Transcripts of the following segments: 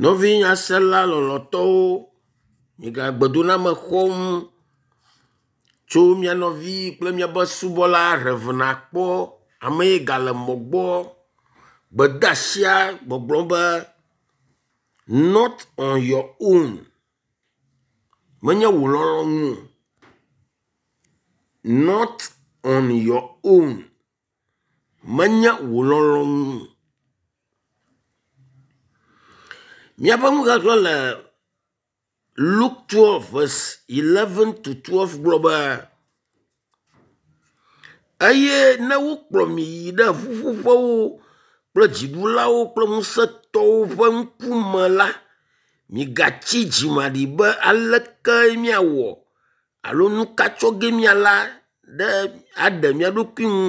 Nɔvi nyasela lɔlɔ̃tɔwo, miegale gbedoname xɔm tso mia nɔvi kple miaƒe subɔla Rev. Akpɔ ame yi gale mɔ gbɔ. Gbedeasia gbɔgblɔm be not on your own. Menye wò lɔlɔ̃nu o. Not on your own. Menye wò lɔlɔ̃nu o. Míaƒe nuxexlẽ le Luke 12 verse 11 to 12 gblɔ be eye ne wokplɔ mi yi ɖe ƒuƒoƒewo kple dziɖulawo kple ŋusẽtɔwo ƒe ŋkume la, migatsi dzimaɖi be aleke míawɔ alo nu ka tsɔ ge míala ɖe aɖe mía ɖokui ŋu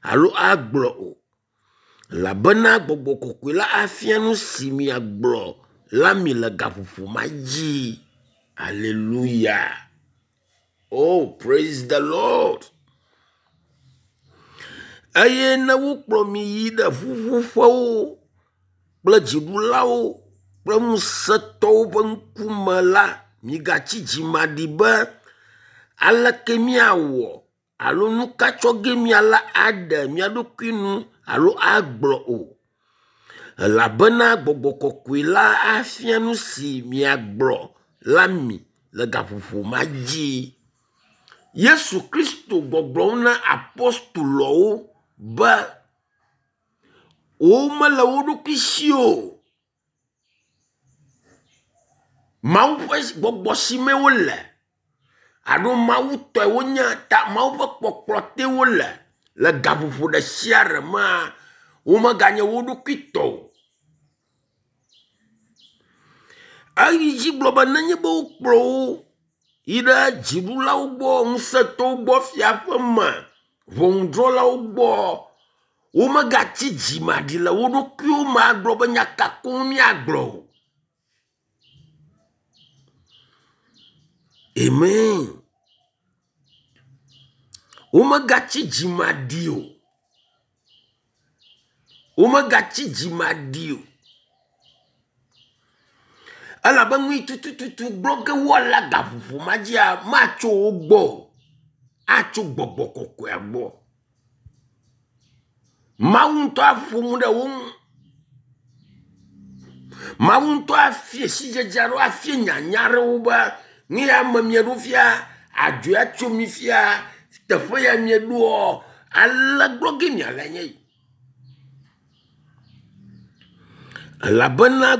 alo agblɔ o. Elabena gbɔgbɔ kɔkɔe la afia nu si miagblɔ la mi le gaƒoƒo ma dzi. Aleluya. Oh, praise the Lord. Eye ne wokplɔ mi yi ɖe ƒuƒoƒewo kple dziɖulawo kple ŋusẽtɔwo ƒe ŋkume la, migatsi dzimaɖi be aleke míawɔ alo nu ka tsɔ ge míala aɖe mía ɖokui nu alo agblɔ o. Elabena gbɔgbɔ kɔkɔe la afia nu si miagblɔ la mi le gaƒoƒo ma dzi. Yesu Kristo gbɔgblɔm na apostoloawo be womele wo ɖokui si o. Mawu ƒe gbɔgbɔ si me wole alo Mawu tɔe wonye ta Mawu ƒe kpɔkplɔ te wole le gaƒoƒo ɖe sia ɖe mea, womeganye wo ɖokui tɔ o. Eyi dzi gblɔ be nenye be wokplɔ wo yi ɖe dziɖulawo gbɔ, ŋusẽtɔwo gbɔ, fiaƒe me, ʋɔnudrɔ̃lawo gbɔ, womegatsi dzimaɖi le wo ɖokuiwo me agblɔ be nya ka koŋ míagblɔ o. Amen. Womegatsi dzimaɖi o. Womegatsi dzimaɖi o. Elabe nu yi tututu gblɔ ge woala gaƒoƒo ma dzia, matso wo gbɔ o. Atso gbɔgbɔ kɔkɔea gbɔ. Mawu ŋutɔ aƒo nu ɖe wo ŋu. Mawu ŋutɔ afia sidzedze alo afia nyanya aɖewo be nu ya me mieɖo fia, adzɔe atso mi fia, teƒe ya mieɖoa, ale gblɔ ge miale nye yi. Elabena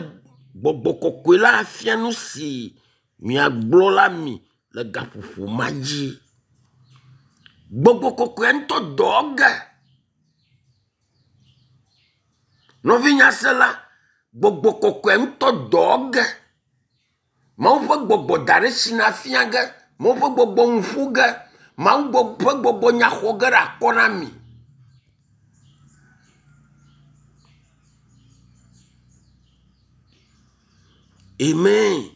gbɔgbɔ kɔkɔe la afia nu si miagblɔ la mi le gaƒoƒo ma dzi. Gbɔgbɔ kɔkɔea ŋutɔ dɔ ge. Nɔvinyasela, gbɔgbɔ kɔkɔea ŋutɔ dɔ ge. Mawu ƒe gbɔgbɔ da ɖe si na fia ge. Mawu ƒe gbɔgbɔ nu ƒo ge. Mawu ƒe gbɔgbɔ nya xɔ ge ɖe akɔ na mi. Amen.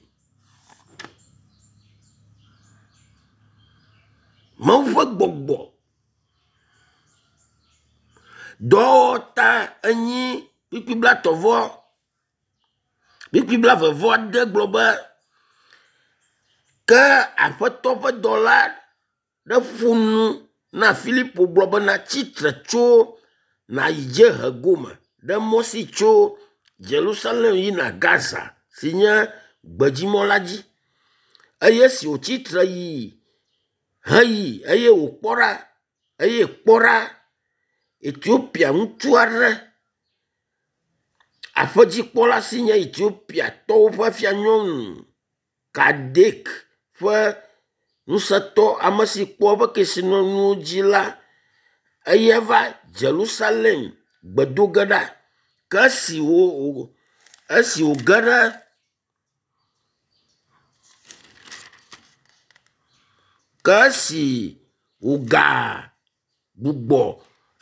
Mawu ƒe gbɔgbɔ dɔwɔta enyi kpukpui blatɔ̃ vɔ kpukpui blaeve vɔ ade gblɔ be ke Aƒetɔ ƒe dɔla ɖe ƒo nu na Filipo gblɔ bena tsitre tso nàyi dziehe gome ɖe mɔ si tso Yerusalem yina Gaza si nye gbedzimɔ la dzi. Eye esi wòtsi tre yi heyi eye wòkpɔ ɖa eye kpɔ ɖa Etiopia ŋutsu aɖe aƒedzikpɔla si nye Etiopiatɔwo ƒe fianyɔnu Kadek ƒe ŋusẽtɔ ame si kpɔ eƒe kesinɔnuwo dzi la, eya va Yerusalem gbe do ge ɖa. Ke esi wo esi wòge ɖe ke esi wòga gbugbɔ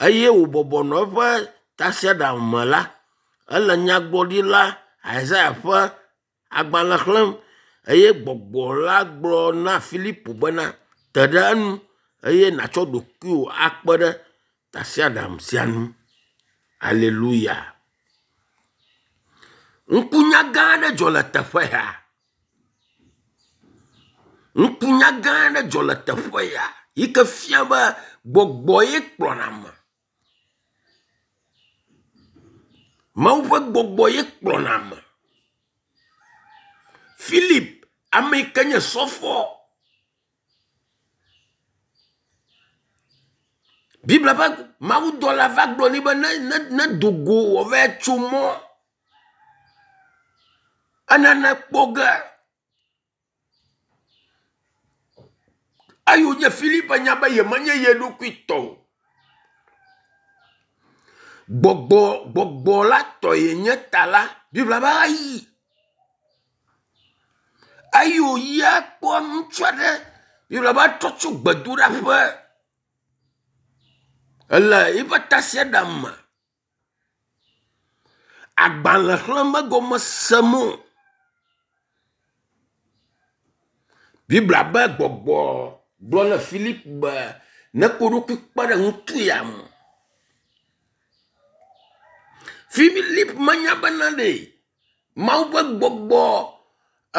eye wòbɔbɔ nɔ eƒe tasiaɖam me la, ele nyagblɔɖila Isaya ƒe agbalẽ xlẽm eye gbɔgbɔ la gblɔ na Filipo bena, te ɖe enu eye nàtsɔ ɖokuiwò akpe ɖe tasiaɖam sia ŋu. Aleluya. Ŋkunya gã aɖe dzɔ le teƒe ya. Ŋkunya gã aɖe dzɔ le teƒe ya yi ke fia be gbɔgbɔ ye kplɔna ame. Mawu ƒe gbɔgbɔ ye kplɔna ame. Philip, ame yi ke nye sɔfɔ. Biblia ƒe mawudɔla va gblɔ nɛ be ne ne nedo go wòava tso mɔ enane kpɔ ge. Eyi wònye Philip nya be yemenye ye ɖokui tɔ o. Gbɔgbɔ gbɔgbɔ la tɔ yenye ta la, Biblia be eyi. Eyi wòyia kpɔ ŋutsu aɖe Biblia be etrɔ tso gbedoɖaƒe ele eƒe tasiaɖam me. Agbalẽ xlẽm megɔme sem o. Biblia be gbɔgbɔ gblɔ na Filip be neko eɖokui kpe ɖe ŋutsu ya ŋu. Filip menya bena ɖe Mawu ƒe gbɔgbɔ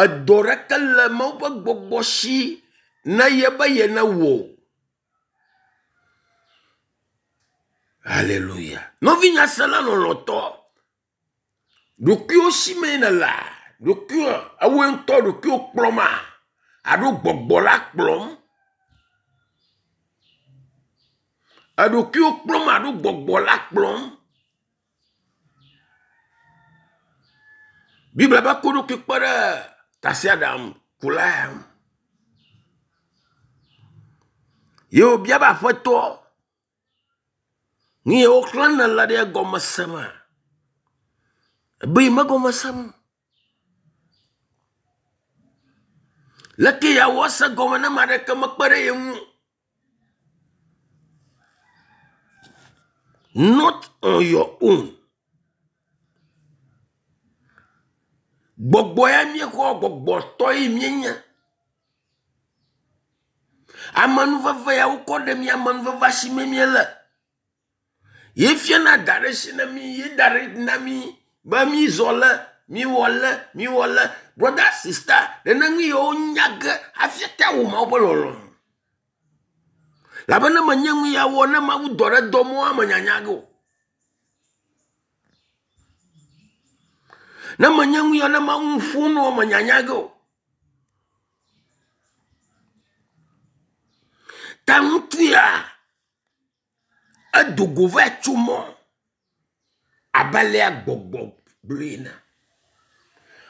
edɔ ɖeke le Mawu ƒe gbɔgbɔ si ne ye be yenewɔ o. Haleluya. Nɔvi nyasela lɔlɔ̃tɔ, ɖokuiwo si mee nèlea? Ɖokuiwò, ewòe ŋutɔ ɖokuiwò kplɔma? Alo gbɔgbɔ la kplɔm? Eɖokuiwò kplɔm alo gbɔgbɔ la kplɔm? Biblia be ko ɖokui kpe ɖe tasiaɖam kula ya ŋu. Ye wòbia be aƒetɔ, nu ye woxlẽ nèle ɖe egɔme sema? Ebe yi megɔme sem o. Leke yeawɔ ase gɔme ne ame aɖeke mekpe ɖe ye ŋu o? Not on your own. Gbɔgbɔ ya míexɔ gbɔgbɔtɔ ye míenye. Amenuveve ya wokɔ ɖe mía amenuveve si me míele. Ye fiana da ɖe si na mí, ye da ɖe na mí be mízɔ le, míwɔ le, míwɔ le. Brother, sister, nene nu yiwo nya ge hafi ate awɔ Mawu ƒe lɔlɔ̃nu. Labe ne menye nu ya wɔ ne Mawu dɔ ɖe dɔ mɔa me nyanya ge o. Ne menye nu ya ne Mawu ƒo nua me nyanya ge o. Ta ŋutsu ya edo go va tso mɔ abe alea gbɔgbɔ gblɔe ene.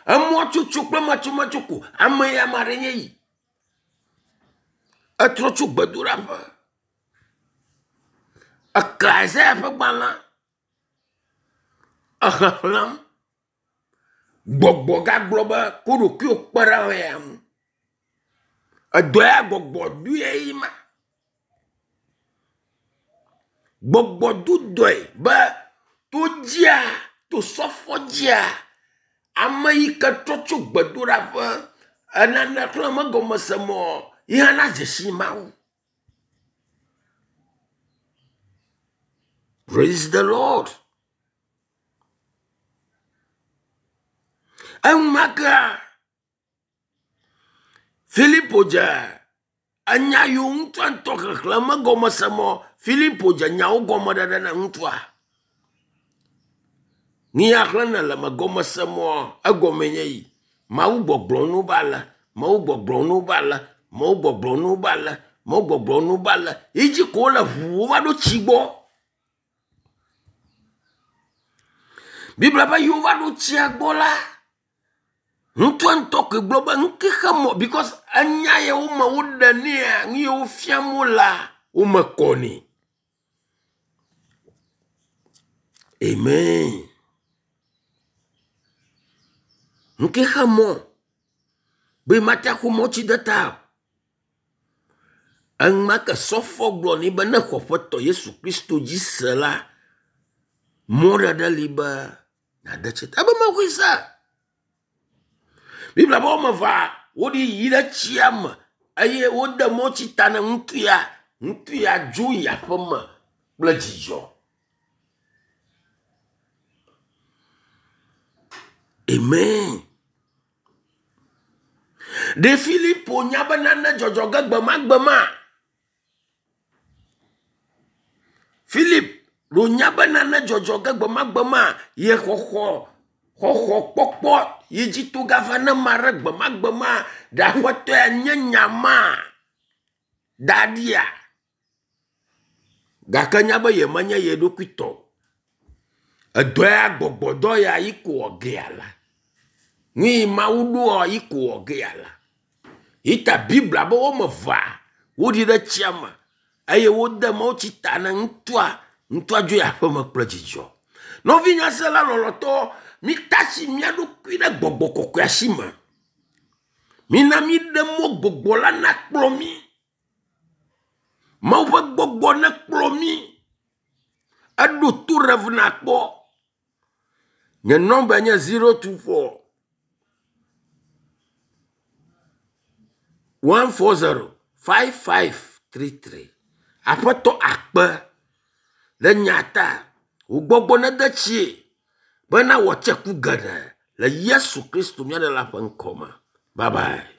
Emɔtsotso kple matsomatso ko ame ya ame aɖe nye yi. Etrɔ tso gbedoɖaƒe. Ekle Isaya ƒe gbalẽ exexlẽm. Gbɔgbɔ gagblɔ be ko ɖokuiwò kpe ɖe ame ya ŋu. Edɔ ya gbɔgbɔ doe ye ma. Gbɔgbɔ do dɔe be to dzia, to sɔfɔ dzia, ame yi ke trɔ tso gbedoɖaƒe enane xlẽ megɔmese mɔ yi hã nadze si Mawu. Praise the Lord. Enumakea Filipo dze enya yiwo ŋutsua ŋutɔ xexlẽ megɔmese mɔ Filipo dze nyawo gɔme ɖeɖe na ŋutsua. Nu ya xlẽm nèle megɔmese mɔ egɔme nye yi. Mawu gbɔgblɔ nu be ale, Mawu gbɔgblɔ nu be ale, Mawu gbɔgblɔ nu be ale, Mawu gbɔgblɔ nu be ale. Yi dzi ko wole ʋuu wova ɖo tsi gbɔ. Biblia be yi wova ɖo tsia gbɔ la, ŋutsua ŋutɔ koe gblɔ be nu ke xe mɔ because enya ye wo me woɖe nɛa, nu ye wofiam wolea, wo me kɔ nɛ. Amen. Nu ke xe mɔ be mate axɔ mɔ tsi de ta o. Enumake sɔfɔ gblɔ nɛ be ne xɔ Aƒetɔ Yesu Kristo dzi se la, mɔɖeɖe li be nàde tsi ta. Ebe mexɔe se. Biblia be woame evea woɖi yi ɖe tsia me eye wode mɔ tsi ta ne ŋutsu ya. Ŋutsu ya dzo yi aƒeme kple dzidzɔ. Amen. Ɖe Filipo nya be nane dzɔdzɔ ge gbemagbe ma? Filip ɖo nya be nane dzɔdzɔ ge gbemagbe ma ye xɔxɔ xɔxɔ kpɔkpɔ yi dzi to gava ne ma ɖe gbemagbe ma ɖe aƒetɔ ya nye nya ma da ɖia? Gake nya be yemenye ye ɖokui tɔ o. Edɔ ya gbɔgbɔdɔ ya yi ko wɔ gea la. Nu yi Mawu ɖoa yi ko wɔ gea la. Yi ta Biblia be woame evea woɖi ɖe tsia me eye wode mawutsi ta ne ŋutsua. Ŋutsua dzo yi aƒeme kple dzidzɔ. Nɔvi nyasela lɔlɔtɔ, mitasi mía ɖokui ɖe gbɔgbɔ kɔkɔea si me. Mina míɖe mɔ gbɔgbɔ la nakplɔ mí. Mawu ƒe gbɔgbɔ nekplɔ mí. Eɖo to Rev nakpɔ. Nye nɔmba nye 024 140 5533. Aƒetɔ akpe ɖe nya ta. Wò gbɔgbɔ nede tsie bena wòatse ku geɖe le Yesu Kristo mía Ɖela ƒe ŋkɔ me. Bye bye.